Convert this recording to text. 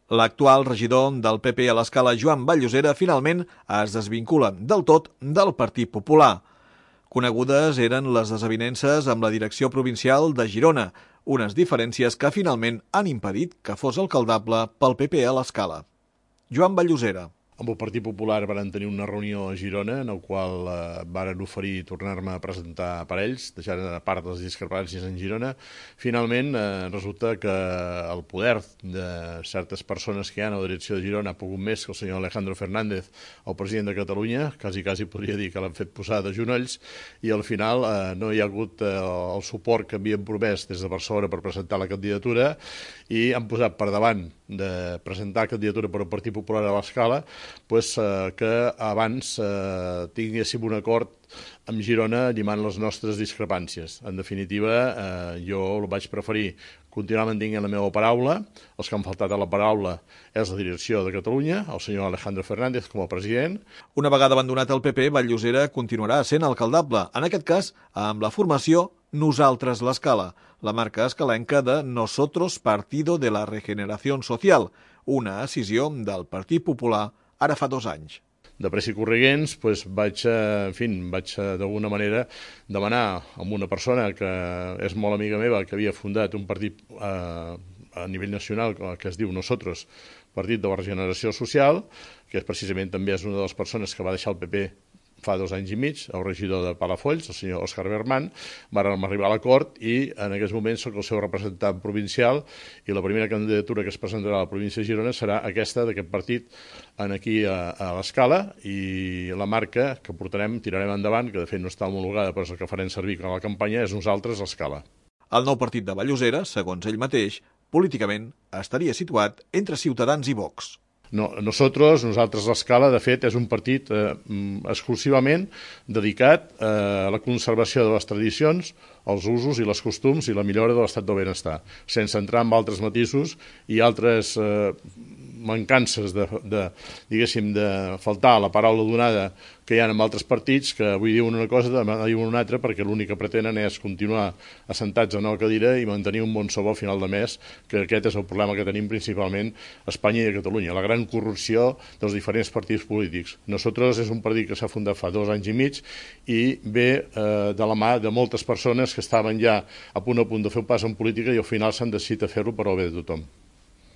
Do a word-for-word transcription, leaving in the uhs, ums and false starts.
L'actual regidor del P P a l'Escala, Joan Vall-Llosera, finalment es desvincula del tot del Partit Popular. Conegudes eren les desavinences amb la direcció provincial de Girona, unes diferències que finalment han impedit que fos alcaldable pel P P a l'Escala. Joan Vall-Llosera. Amb el Partit Popular van tenir una reunió a Girona en la qual eh, van oferir tornar-me a presentar per ells, deixant a part les discrepàncies en Girona. Finalment, eh, resulta que el poder de certes persones que hi ha a la direcció de Girona ha pogut més que el senyor Alejandro Fernández, el president de Catalunya, quasi, quasi podria dir que l'han fet posar de genolls, i al final eh, no hi ha hagut eh, el suport que havien promès des de Barcelona per presentar la candidatura i han posat per davant de presentar candidatura per al Partit Popular a l'Escala, pues, eh, que abans eh, tinguéssim un acord amb Girona llimant les nostres discrepàncies. En definitiva, eh, jo el vaig preferir continuar mantenint la meva paraula. Els que han faltat a la paraula és la direcció de Catalunya, el senyor Alejandro Fernández com a president. Una vegada abandonat el P P, Vall-Llosera continuarà sent alcaldable, en aquest cas amb la formació Nosaltres l'Escala, la marca escalenca de Nosotros Partido de la Regeneración Social, una escissió del Partit Popular ara fa dos anys. De pressa i correguents, doncs vaig, en fi, vaig d'alguna manera demanar a una persona que és molt amiga meva, que havia fundat un partit eh, a nivell nacional que es diu Nosotros, Partit de la Regeneració Social, que és precisament també és una de les persones que va deixar el P P fa dos anys i mig, el regidor de Palafolls, el senyor Òscar Berman, vàrem arribar a l'acord i en aquests moments soc el seu representant provincial i la primera candidatura que es presentarà a la província de Girona serà aquesta d'aquest partit aquí a, a l'Escala, i la marca que portarem, tirarem endavant, que de fet no està homologada però és el que farem servir a la campanya, és Nosaltres l'Escala. El nou partit de Vall-Llosera, segons ell mateix, políticament estaria situat entre Ciutadans i Vox. No, nosotros, nosaltres l'Escala, de fet, és un partit eh, exclusivament dedicat eh, a la conservació de les tradicions, els usos i les costums i la millora de l'estat del benestar, sense entrar en altres matisos i altres eh, mancances de, de, diguéssim, de faltar a la paraula donada que hi ha en altres partits, que avui diuen una cosa, demà diuen una altra, perquè l'únic que pretenen és continuar assentats en una cadira i mantenir un bon sou al final de mes, que aquest és el problema que tenim principalment a Espanya i a Catalunya, la gran corrupció dels diferents partits polítics. Nosaltres és un partit que s'ha fundat fa dos anys i mig i ve eh, de la mà de moltes persones que estaven ja a punt a punt de fer un pas en política i al final s'han decidit a fer-lo per al bé de tothom.